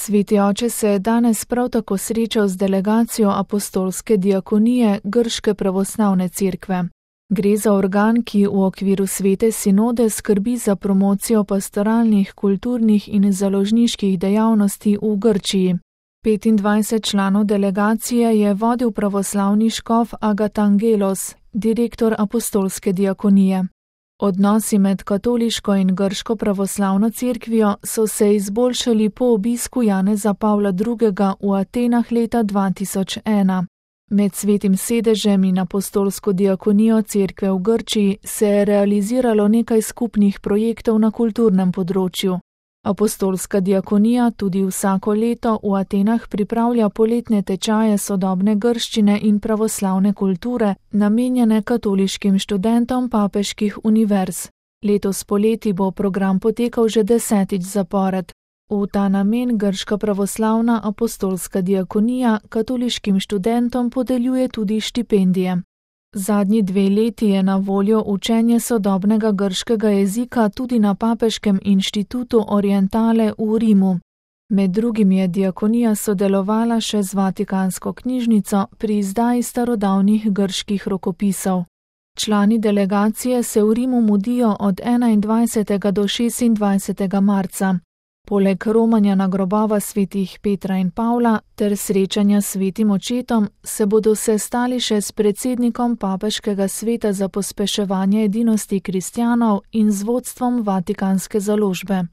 Sveti oče se je danes prav tako srečal z delegacijo apostolske diakonije Grške pravoslavne cerkve. Gre za organ, ki v okviru svete sinode skrbi za promocijo pastoralnih, kulturnih in založniških dejavnosti v Grčiji. 25 članov delegacije je vodil pravoslavni škof Agatangelos, direktor apostolske diakonije. Odnosi med katoliško in grško pravoslavno cerkvijo so se izboljšali po obisku Janeza Pavla II. V Atenah leta 2001. Med svetim sedežem in apostolsko diakonijo cerkve v Grčiji se je realiziralo nekaj skupnih projektov na kulturnem področju. Apostolska diakonija tudi vsako leto v Atenah pripravlja poletne tečaje sodobne grščine in pravoslavne kulture, namenjene katoliškim študentom papeških univerz. Letos poleti bo program potekal že 10. zapored. V ta namen Grška pravoslavna apostolska diakonija katoliškim študentom podeljuje tudi štipendije. Zadnji 2 leti je na voljo učenje sodobnega grškega jezika tudi na Papeškem inštitutu Orientale v Rimu. Med drugim je diakonija sodelovala še z Vatikansko knjižnico pri izdaji starodavnih grških rokopisov. Člani delegacije se v Rimu mudijo od 21. do 26. marca. Poleg romanja na grobova svetih Petra in Pavla ter srečanja s svetim očetom se bodo sestali še s predsednikom Papeškega sveta za pospeševanje edinosti kristjanov in z vodstvom Vatikanske založbe.